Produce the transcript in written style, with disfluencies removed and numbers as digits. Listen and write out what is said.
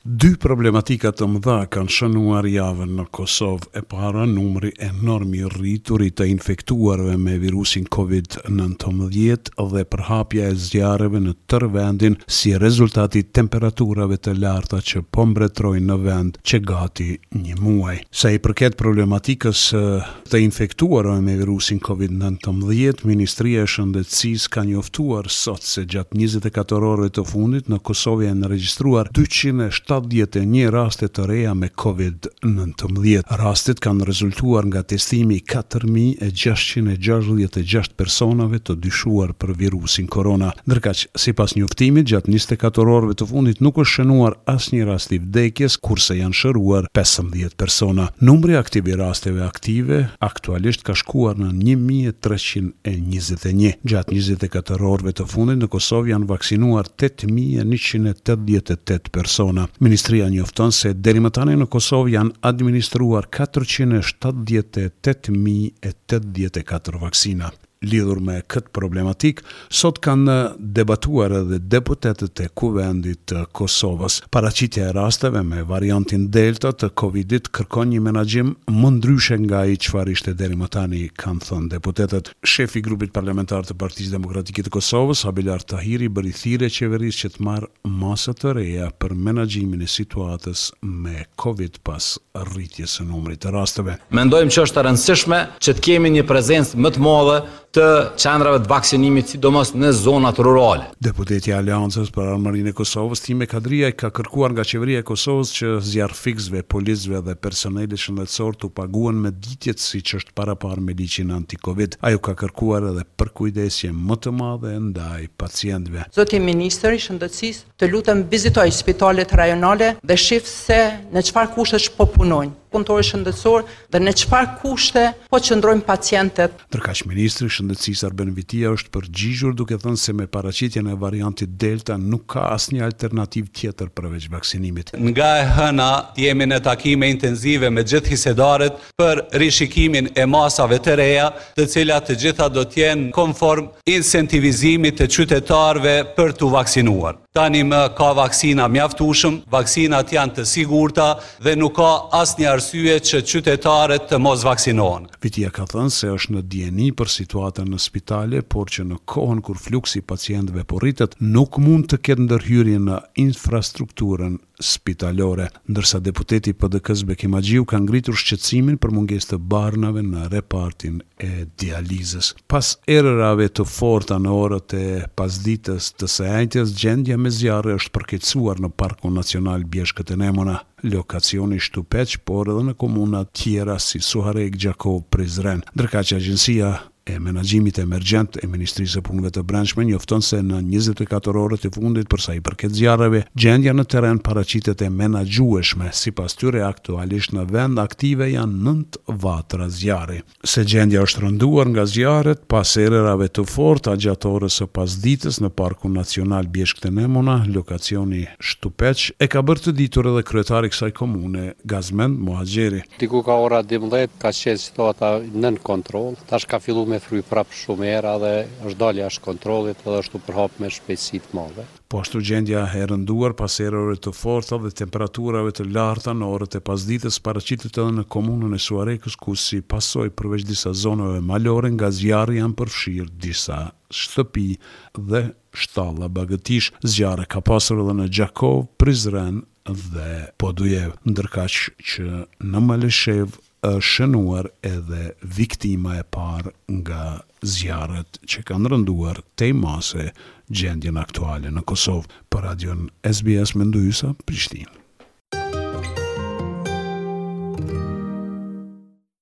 Dy problematika të mëdha kanë shënuar javën në Kosovë. E para, numri enorm i rritur i të infektuarve me virusin Covid 19 dhe përhapja e zjarreve në tërë vendin si rezultat i temperaturave të larta që po mbretërojnë në vend që gati një muaj. Sa i përket problematikës së të infektuarve me virusin Covid 19, Ministria e Shëndetësisë ka njoftuar sot se gjatë 24 orëve të fundit në Kosovë janë regjistruar 271 raste të reja me Covid 19. Rastet kanë rezultuar nga testimi i 4666 personave të dyshuar për virusin korona. Ndërkaq, sipas njoftimit, gjatë 24 orëve të fundit nuk është shënuar asnjë rast i vdekjes, kurse janë shëruar 15 persona. Numri aktiv i rasteve aktive aktualisht ka shkuar në 1321. Gjatë 24 orëve të fundit në Kosovë janë vaksinuar 8188 persona. Ministria njofton se deri më tani në Kosovë janë administruar 478.084 vaksina. Lidhur me këtë problematikë, sot kanë debatuar edhe deputetët e Kuvendit të Kosovës. Paraqitja e rasteve me variantin Delta të Covidit kërkon një menaxhim më ndryshe nga ai çfarë ishte deri më tani, kanë thënë deputetët. Shefi i grupit parlamentar të Partisë Demokratike të Kosovës, Abelard Tahiri bëri thirrje qeverisë që të marrë masa të reja për menaxhimin e situatës me Covid pas rritjes së numrit të rasteve. Mendojmë që është e rëndësishme që të kemi një prezencë më të madhe të qendrave të vaksinimit, sidomos në zonat rurale. Deputetja e Aleancës për Ardhmërinë e Kosovës, Time Kadrijaj ka kërkuar nga Qeveria e Kosovës që zjarrfikësve, policëve dhe personelit shëndetësor t'u paguhen mëditjet siç është paraparë me ligjin anti-Covid. Ajo ka kërkuar edhe përkujdesje më të madhe ndaj pacientëve. Zoti ministër i Shëndetësisë, Të lutem vizitoj spitalet rajonale dhe shif se në çfarë kushtesh po punojnë punëtorët shëndetësorë dhe në çfarë kushte po qëndrojnë pacientët. Ndërkaq ministri i Shëndetësisë Arben Vitia është përgjigjur duke thënë se me paraqitjen e variantit Delta nuk ka asnjë alternativë tjetër përveç vaksinimit. Nga e hëna jemi në takime intenzive me gjithë hisedarët për rishikimin e masave të reja, të cilat të gjitha do të jenë konform incentivizimit të qytetarëve për t'u vaksinuar. Tani më ka vaksina mjaftueshëm, vaksinat janë të sigurta dhe nuk ka asnjë arsye që qytetarët të mos vaksinohen. Vitia ka thënë se është në dijeni për situatën në spitale, por që në kohën kur fluksi i pacientëve po rritet, nuk mund të ketë ndërhyrje në infrastrukturën spitalore. Ndërsa deputeti i PDK-së Bekim Haxhiu ka ngritur shqetësimin për mungesë të barnave në repartin e dializës. Pas erërave të forta në orët e pasdites të së enjtes, gjendja me zjarre është përkeqësuar në Parkun Nacional Bjeshkët e Nemuna, lokacioni Shtupeq, por edhe në komuna tjera si Suharekë, Gjakovë, Prizren. Ndërkaq Agjencia e Menaxhimit Emergjent e Ministrisë së Punëve të Brendshme njofton se në 24 orët e fundit për sa i përket zjarreve, gjendja në terren paraqitet e menaxhueshme. Sipas tyre, aktualisht në vend aktive janë nëntë vatra zjarri. Se gjendja është rënduar nga zjarret pas erërave të forta gjatë orës së pasdites në Parkun Nacional Bjeshkët e Nemuna, lokacioni Shtupeq, e ka bërë të ditur edhe kryetari i kësaj komune, Gazmend Muhaxheri. Diku ka ora 12 ka qenë situata nën kontroll, tash ka fillu me fry prap shumë era dhe është dalë jashtë kontrollit dhe është u përhap me shpejtësi të madhe. Po ashtu gjendja e rënduar pas erërave të forta dhe temperaturave të larta në orët e pasdites paraqitet edhe në komunën e Suharekës ku si pasojë përveç disa zonave malore nga zjarri janë përfshirë disa shtëpi dhe shtalla bagëtish. Zjarre ka pasur edhe në Gjakovë, Prizren dhe Podujevë, ndërkaq që në Malishevë është shënuar edhe viktima e parë nga zjarret që kanë rënduar tej mase gjendjen aktuale në Kosovë. Për Radion SBS Mendu Hysa, Prishtinë.